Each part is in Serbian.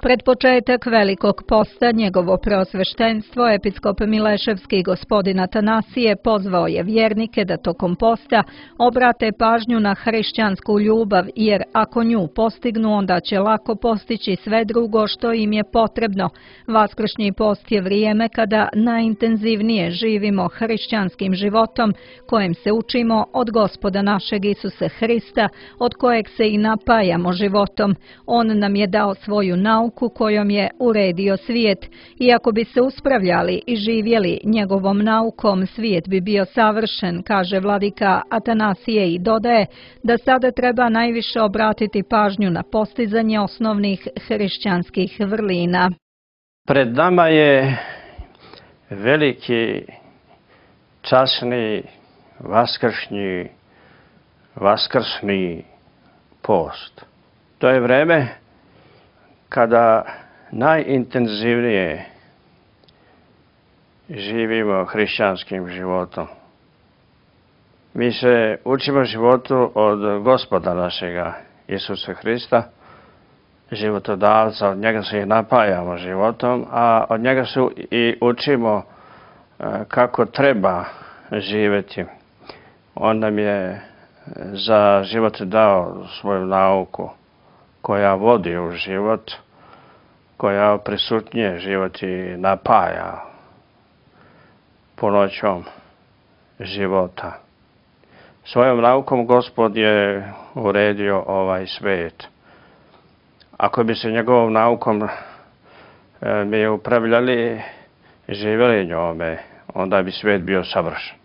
Pred početak Velikog posta njegovo preosveštenstvo, episkop Mileševski gospodin Atanasije, pozvao je vjernike da tokom posta obrate pažnju na hrišćansku ljubav, jer ako nju postignu, onda će lako postići sve drugo što im je potrebno. Vaskršnji post je vrijeme kada najintenzivnije živimo hrišćanskim životom, kojem se učimo od Gospoda našeg Isuse Hrista, od kojeg se i napajamo životom. On nam je dao svoju nauku kojom je uredio svijet. Iako bi se uspravljali i živjeli njegovom naukom, svijet bi bio savršen, kaže vladika Atanasije i dodaje da sada treba najviše obratiti pažnju na postizanje osnovnih hrišćanskih vrlina. Pred nama je veliki, časni, vaskrsni post. To je vreme kada najintenzivnije živimo hrišćanskim životom. Mi se učimo životu od Gospoda našega Isusa Hrista, životodavca, od njega se i napajamo životom, a od njega se i učimo kako treba živjeti. On nam je za život dao svoju nauku koja vodi u život, koja prisutnije život i napaja punoćom života. Svojom naukom Gospod je uredio ovaj svijet. Ako bi se njegovom naukom mi upravljali i živjeli njome, onda bi svijet bio savršen.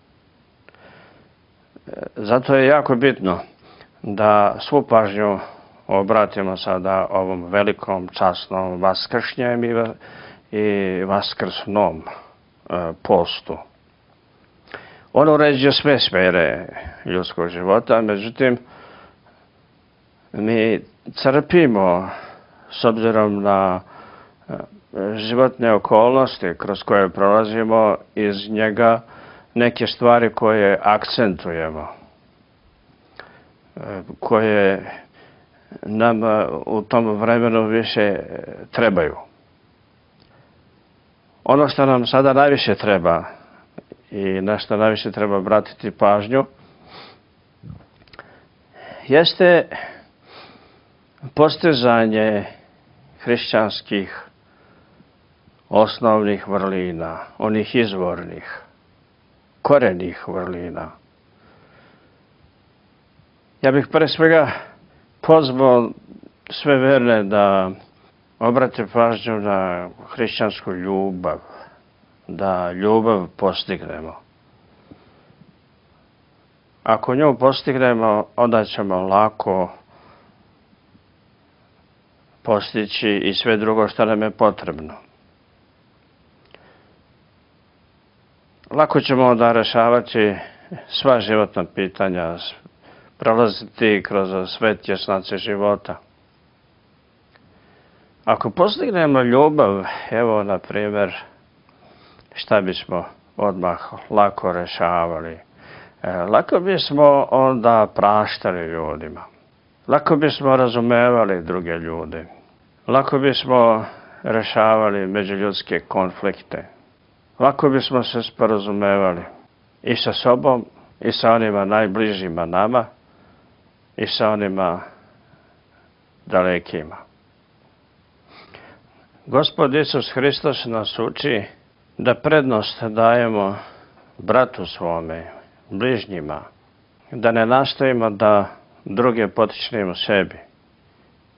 Zato je jako bitno da svu pažnju obratimo sada ovom velikom, časnom vaskršnjem i vaskrsnom postu. On uređuje sve sfere ljudskog života, međutim, mi crpimo, s obzirom na životne okolnosti kroz koje prolazimo, iz njega neke stvari koje akcentujemo, koje nam u tom vremenu više trebaju. Ono što nam sada najviše treba i na što najviše treba obratiti pažnju jeste postizanje hrišćanskih osnovnih vrlina, onih izvornih, korenih vrlina. Ja bih pre svega pozvao sve verne da obrate pažnju na hrišćansku ljubav, da ljubav postignemo. Ako nju postignemo, onda ćemo lako postići i sve drugo što nam je potrebno. Lako ćemo onda rješavati sva životna pitanja, prolaziti kroz sve tjesnace života. Ako postignemo ljubav, evo na primjer, šta bismo odmah lako rješavali? Lako bismo onda praštali ljudima. Lako bismo razumevali druge ljude. Lako bismo rješavali međuljudske konflikte. Lako bismo se sporazumevali i sa sobom, i sa onima najbližima nama, i sa onima dalekima. Gospod Isus Hristos nas uči da prednost dajemo bratu svome, bližnjima, da ne nastojimo da druge potičnemo sebi,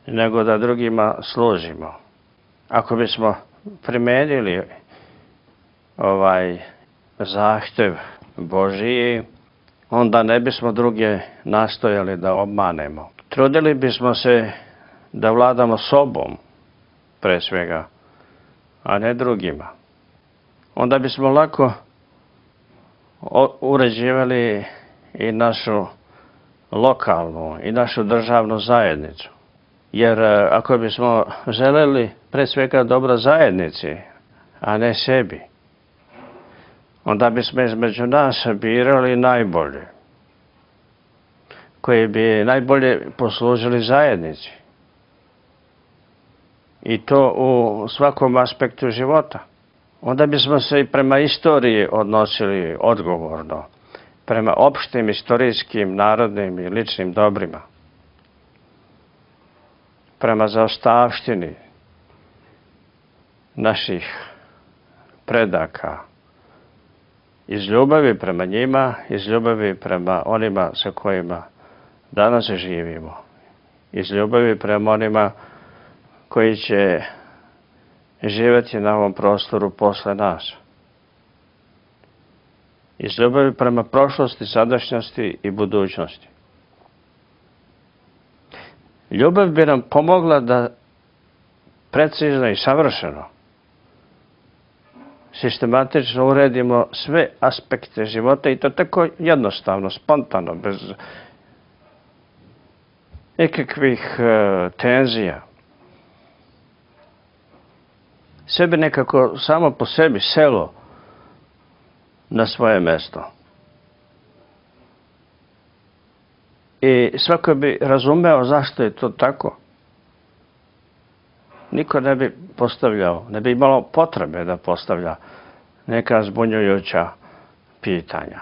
nego da drugima služimo. Ako bismo primijenili ovaj zahtjev Božiji, onda ne bismo druge nastojali da obmanemo. Trudili bismo se da vladamo sobom, pre svega, a ne drugima. Onda bismo lako uređivali i našu lokalnu i našu državnu zajednicu. Jer ako bismo želeli pre svega dobro zajednici, a ne sebi, onda bismo između nas birali najbolje, koji bi najbolje poslužili zajednici. i to u svakom aspektu života. Onda bismo se i prema istoriji odnosili odgovorno, prema opštim istorijskim, narodnim i ličnim dobrima, prema zaostavštini naših predaka, iz ljubavi prema njima, iz ljubavi prema onima sa kojima danas živimo, iz ljubavi prema onima koji će živjeti na ovom prostoru posle nas, iz ljubavi prema prošlosti, sadašnjosti i budućnosti. Ljubav bi nam pomogla da precizno i savršeno, sistematično uredimo sve aspekte života i to tako jednostavno, spontano, bez nekakvih tenzija. Sve bi nekako samo po sebi selo na svoje mesto. I svako bi razumeo zašto je to tako. Niko ne bi postavljao, ne bi imalo potrebe da postavlja neka zbunjujuća pitanja.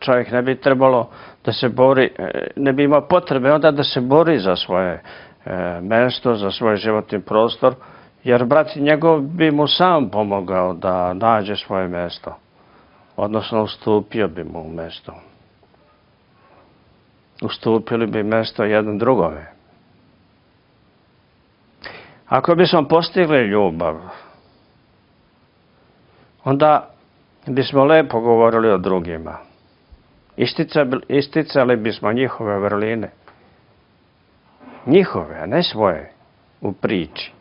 Čovjek ne bi trebalo da se bori, ne bi imao potrebe onda da se bori za svoje mesto, za svoj životni prostor, jer brat njegov bi mu sam pomogao da nađe svoje mesto, odnosno ustupio bi mu mesto. Ustupili bi mesto jedan drugome. Ako bismo postigli ljubav, onda bismo lepo govorili o drugima. Isticali bismo njihove vrline. Njihove, a ne svoje, u priči.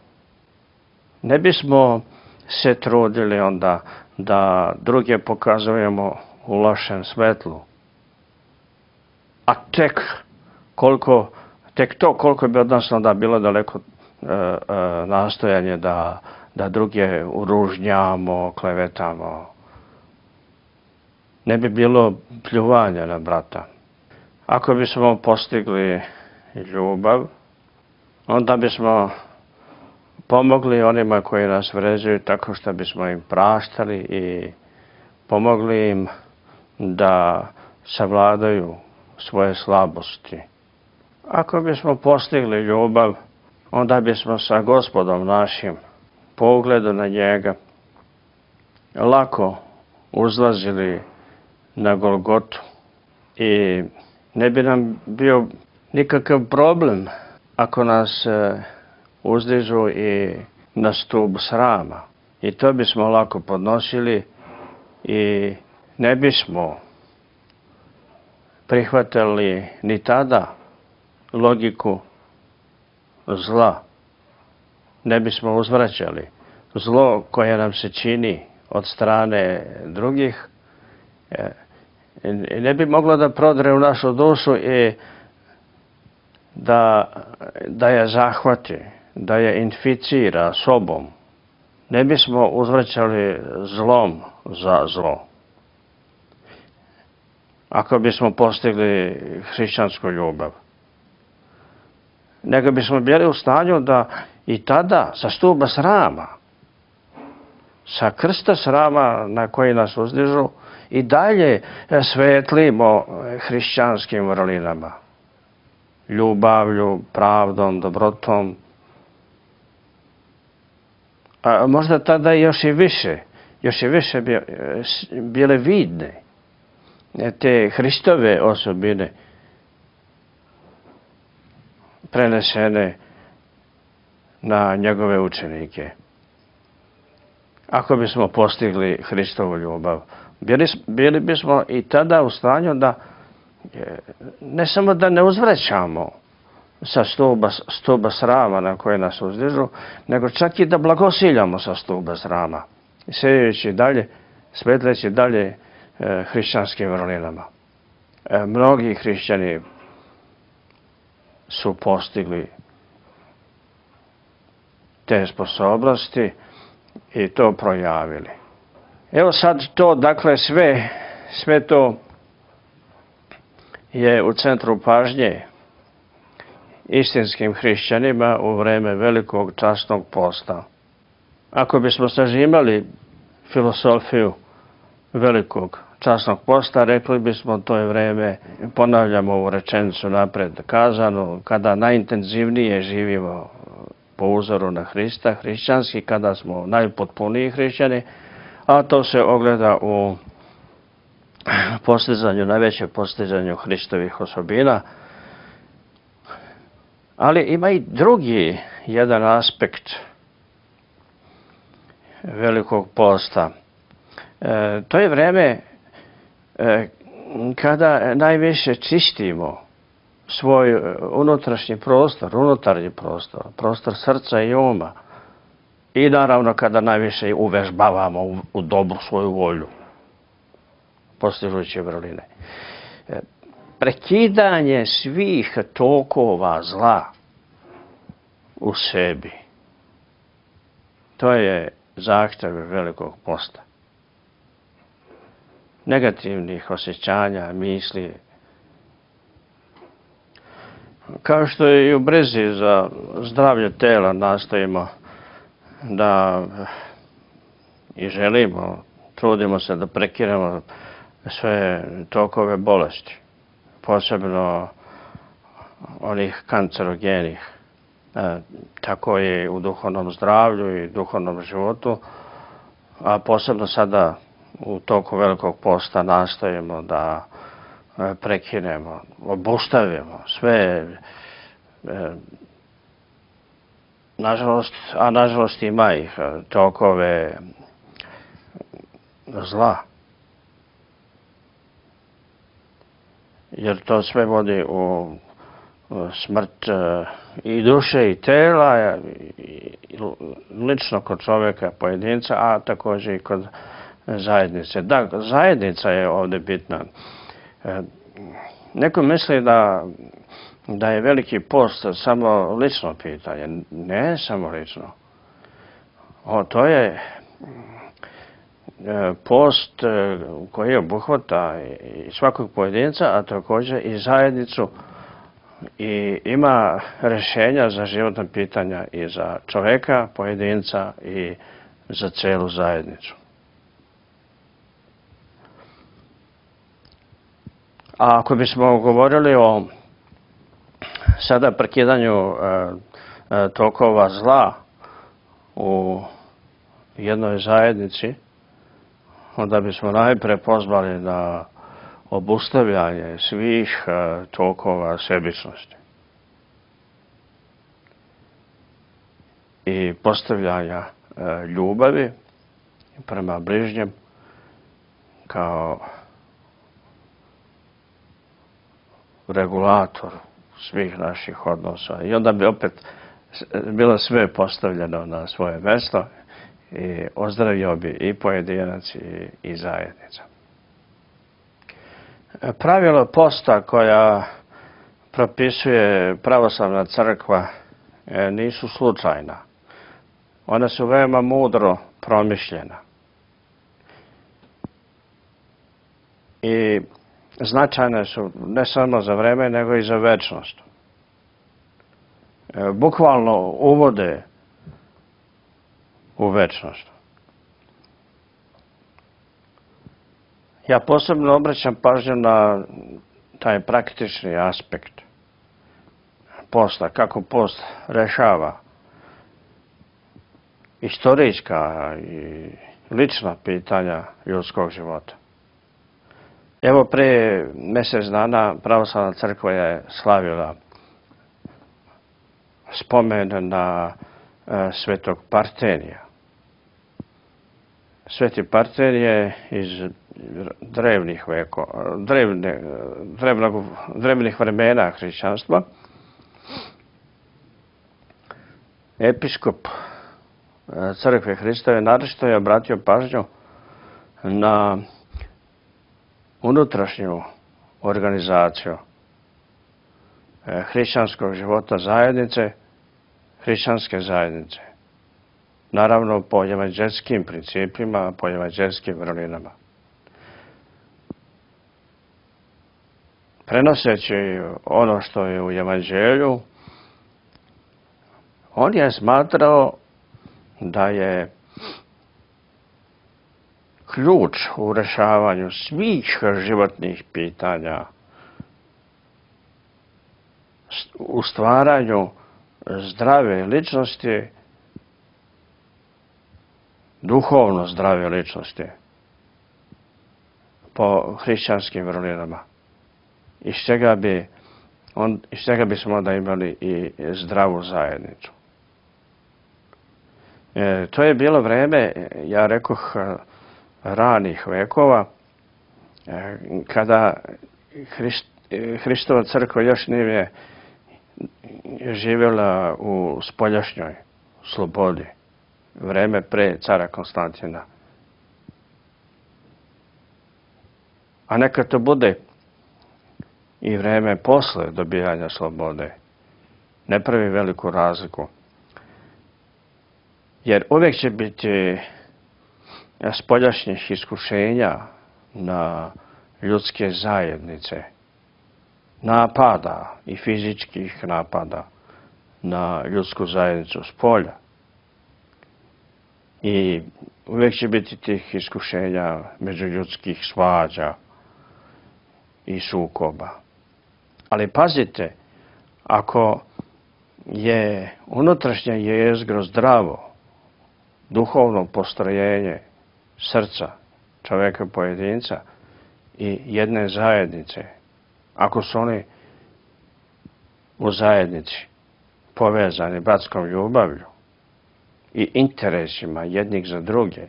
Ne bismo se trudili onda da druge pokazujemo u lošem svetlu. A tek to koliko bi od nas onda bilo daleko nastojanje da druge uružnjamo, klevetamo. Ne bi bilo pljuvanja na brata. Ako bismo postigli ljubav, onda bismo pomogli onima koji nas vređaju tako što bismo im praštali i pomogli im da savladaju svoje slabosti. Ako bismo postigli ljubav, onda bismo sa Gospodom našim po ugledu na njega lako uzlazili na Golgotu i ne bi nam bio nikakav problem ako nas uzdižu i na stup srama. I to bismo lako podnosili i ne bismo prihvatili ni tada logiku zla. Ne bismo uzvraćali zlo koje nam se čini od strane drugih. Ne bi moglo da prodre u našu dušu i da je zahvati, da je inficira sobom. Ne bismo uzvraćali zlom za zlo. Ako bismo postigli hrišćansku ljubav. Nego bismo bili u stanju da i tada sa stuba srama, sa krsta srama na koji nas uzdižu, i dalje svetlimo hrišćanskim vrlinama. Ljubavlju, pravdom, dobrotom. A možda tada još i više bile vidne te Hristove osobine prenesene na njegove učenike. Ako bismo postigli Hristovu ljubav, bili bismo i tada u stanju da ne samo da ne uzvraćamo sa stuba srama na koje nas uzdižu, nego čak i da blagosiljamo sa stuba srama, sejajući dalje, svetleći dalje hrišćanskim vrlinama. Mnogi hrišćani su postigli te sposobnosti i to projavili. Evo sad to, dakle, sve to je u centru pažnje istinskim hrišćanima u vreme velikog časnog posta. Ako bismo sažimali filosofiju velikog časnog posta, rekli bismo to je vreme, ponavljamo ovu rečenicu napred kazanu, kada najintenzivnije živimo po uzoru na Hrista, hrišćanski, kada smo najpotpuniji hrišćani, a to se ogleda u postizanju, najveće postizanju Hristovih osobina. Ali ima i drugi jedan aspekt velikog posta. To je vreme kada najviše čistimo svoj unutrašnji prostor, unutarnji prostor, prostor srca i uma. I naravno kada najviše uvežbavamo u dobru svoju volju, postižući vrline. Prekidanje svih tokova zla u sebi. To je zahtev velikog posta. Negativnih osjećanja, misli. Kao što je i u brizi za zdravlje tela nastojimo da i želimo, trudimo se da prekinemo sve tokove bolesti, posebno onih kancerogenih. Tako je u duhovnom zdravlju i duhovnom životu, a posebno sada u toku velikog posta nastojimo da prekinemo, obustavimo sve, nažalost ima ih, tokove zla. Jer to sve vodi u smrt i duše i tela, lično kod čovjeka, pojedinca, a također i kod zajednice. Da, zajednica je ovdje bitna. Neko misli da je veliki post samo lično pitanje. Ne samo lično. To je post koji obuhvata i svakog pojedinca, a također i zajednicu, i ima rješenja za životna pitanja i za čovjeka, pojedinca i za celu zajednicu. A ako bismo govorili o sada prekidanju tokova zla u jednoj zajednici, onda bismo najprije pozvali na obustavljanje svih tokova sebičnosti i postavljanja ljubavi prema bližnjem kao regulator svih naših odnosa. I onda bi opet bilo sve postavljeno na svoje mjesto i ozdravio bi i pojedinac i zajednica. Pravilo posta koja propisuje pravoslavna crkva nisu slučajna. Ona su veoma mudro promišljena. I značajne su ne samo za vreme, nego i za večnost. Bukvalno uvode u večnost. Ja posebno obraćam pažnju na taj praktični aspekt posta, kako post rešava istorijska i lična pitanja ljudskog života. Evo, prije mjesec dana pravoslavna crkva je slavila spomen na svetog Partenija. Sveti Partenije iz drevnih vremena hrišćanstva, episkop crkve Hristove naročito je obratio pažnju na unutrašnju organizaciju hrišćanskog života zajednice, hrišćanske zajednice. Naravno po evanđelskim principima, po evanđelskim vrlinama. Prenoseći ono što je u evanđelju On je smatrao da je ključ u rješavanju svih životnih pitanja, u stvaranju zdrave ličnosti, duhovno zdrave ličnosti, po hrišćanskim vrlinama. Iz čega bismo onda imali i zdravu zajednicu. To je bilo vreme, ja rekoh, ranih vekova, kada Hristova crkva još nije živjela u spoljašnjoj slobodi, vreme pre cara Konstantina. A neka to bude i vreme posle dobijanja slobode. Ne pravi veliku razliku. Jer uvijek će biti spoljašnjih iskušenja na ljudske zajednice, napada i fizičkih napada na ljudsku zajednicu s polja. I uvijek će biti tih iskušenja međuljudskih svađa i sukoba. Ali pazite, ako je unutrašnje jezgro zdravo, duhovno postrojenje srca čovjeka pojedinca i jedne zajednice, ako su oni u zajednici povezani bratskom ljubavlju i interesima jednih za druge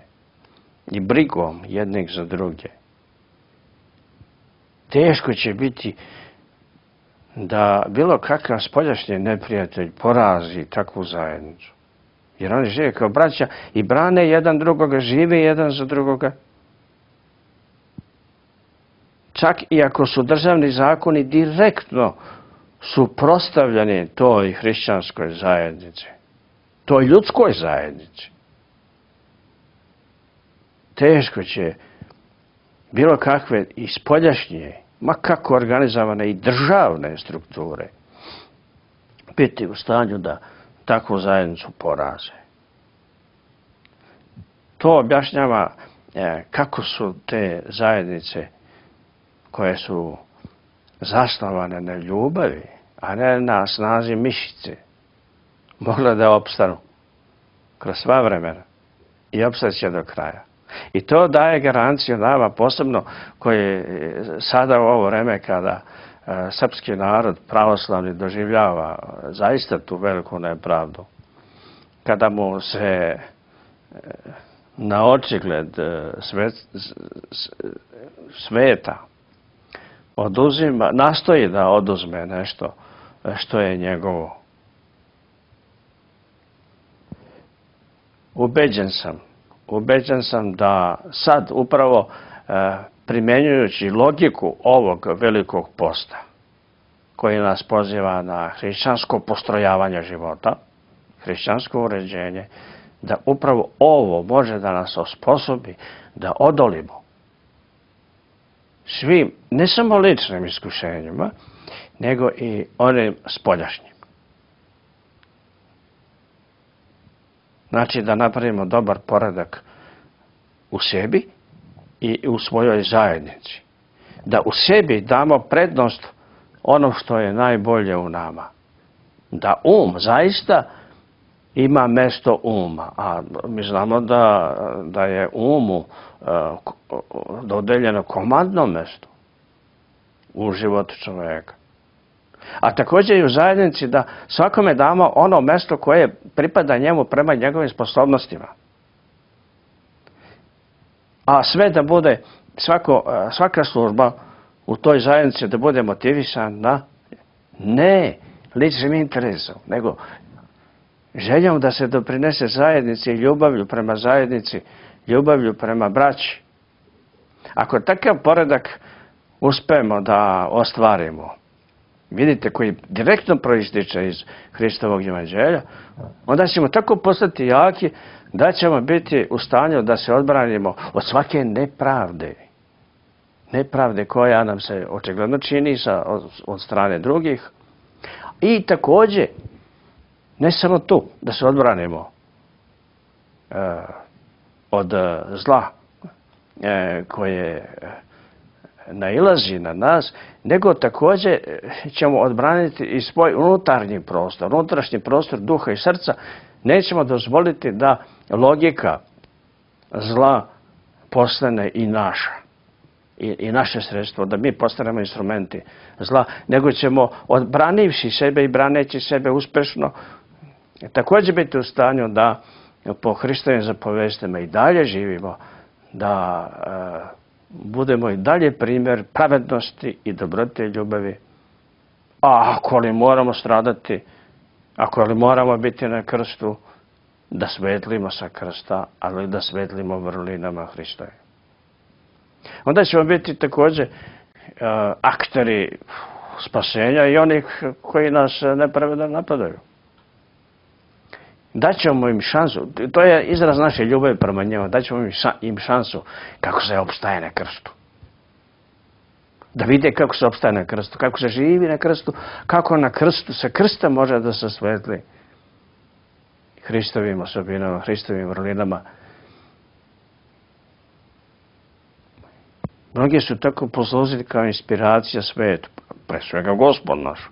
i brigom jednih za druge, teško će biti da bilo kakav spoljašnji neprijatelj porazi takvu zajednicu. Jer oni žive kao braća i brane jedan drugoga, žive jedan za drugoga. Čak i ako su državni zakoni direktno suprotstavljeni toj hrišćanskoj zajednici, toj ljudskoj zajednici, teško će bilo kakve i spoljašnje, ma kako organizovane i državne strukture, biti u stanju da takvu zajednicu poraze. To objašnjava kako su te zajednice koje su zasnovane na ljubavi, a ne na snazi mišice, mogle da opstanu kroz sva vremena i opstaće do kraja. I to daje garanciju nama, posebno koji sada u ovo vreme kada srpski narod pravoslavni doživljava zaista tu veliku nepravdu, kada mu se na očigled sveta oduzima, nastoji da oduzme nešto što je njegovo. Ubeđen sam da sad upravo primjenjujući logiku ovog velikog posta koji nas poziva na hrišćansko postrojavanje života, hrišćansko uređenje, da upravo ovo može da nas osposobi da odolimo svim, ne samo ličnim iskušenjima, nego i onim spoljašnjim. Znači da napravimo dobar poredak u sebi i u svojoj zajednici. Da u sebi damo prednost ono što je najbolje u nama. Da zaista ima mesto uma. A mi znamo da je umu dodeljeno komandno mesto u životu čovjeka. A također i u zajednici da svakome damo ono mesto koje pripada njemu prema njegovim sposobnostima. A sve da bude, svaka služba u toj zajednici da bude motivisana ne ličnim interesom, nego željom da se doprinese zajednici, ljubavlju prema zajednici, ljubavlju prema braći. Ako takav poredak uspemo da ostvarimo, vidite, koji direktno proističe iz Hristovog evanđelja, onda ćemo tako postati jaki da ćemo biti u stanju da se odbranimo od svake nepravde. Nepravde koja nam se očigledno čini od strane drugih. I također Ne samo tu, da se odbranimo od zla koje nailazi na nas, nego također ćemo odbraniti i svoj unutarnji prostor, unutrašnji prostor duha i srca. Nećemo dozvoliti da logika zla postane i naša. I naše sredstvo, da mi postanemo instrumenti zla, nego ćemo, odbranivši sebe i braneći sebe uspešno, također biti u stanju da po Hristovim zapovestima i dalje živimo, da budemo i dalje primjer pravednosti i dobrote i ljubavi. A ako li moramo stradati, ako li moramo biti na krstu, da svetlimo sa krsta, ali da svetlimo vrlinama Hristove. Onda ćemo biti također akteri spasenja i onih koji nas nepravedno napadaju. Daćemo im šansu, to je izraz naše ljubavi prema njima, daćemo im šansu kako se opstaje na krstu. Da vide kako se opstaje na krstu, kako se živi na krstu, kako na krstu, sa krsta može da se svetli Hristovim osobinama, Hristovim vrlinama. Mnogi su tako poslužili kao inspiracija svijetu, pre svega Gospod naš.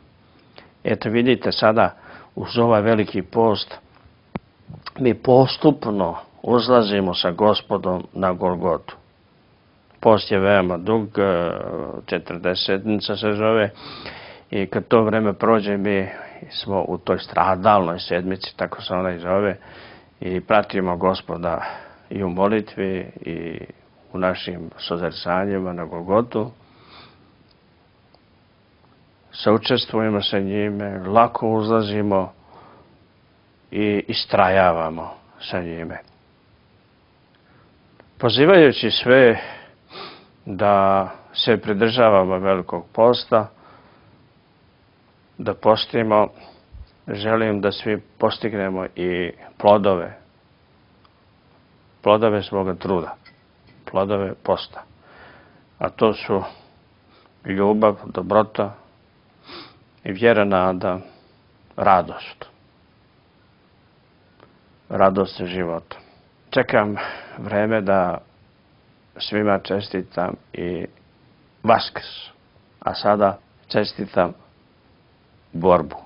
Eto vidite sada, uz ovaj veliki post, mi postupno uzlazimo sa Gospodom na Golgotu. Post je veoma dug, 40 se zove, i kad to vreme prođe mi smo u toj stradalnoj sedmici, tako se ona i zove, i pratimo Gospoda i u molitvi i u našim sozercanjima na Golgotu. Saučestvujemo sa njime, lako uzlazimo i istrajavamo sa njime. Pozivajući sve da se pridržavamo velikog posta, da postimo, želim da svi postignemo i plodove svoga truda, plodove posta. A to su ljubav, dobrota i vjera, nada, radost. Radost života. Čekam vreme da svima čestitam i Vaskrs, a sada čestitam borbu.